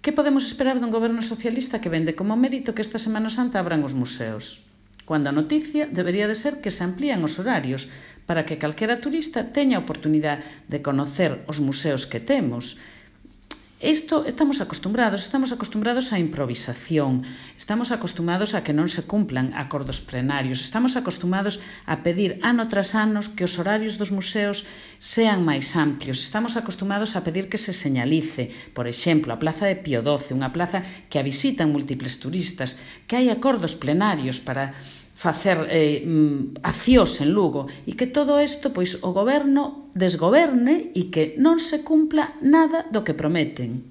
Que podemos esperar dun goberno socialista que vende como mérito que esta Semana Santa abran os museos, cando a noticia debería de ser que se amplían os horarios para que calquera turista teña a oportunidade de conocer os museos que temos? Estamos acostumbrados á improvisación, estamos acostumbrados a que non se cumplan acordos plenarios, estamos acostumbrados a pedir ano tras ano que os horarios dos museos sean máis amplios, estamos acostumbrados a pedir que se señalice, por exemplo, a Plaza de Pío XII, unha plaza que a visitan múltiples turistas, que hai acordos plenarios para facer acións en Lugo e que todo isto pois o goberno desgoberne e que non se cumpla nada do que prometen.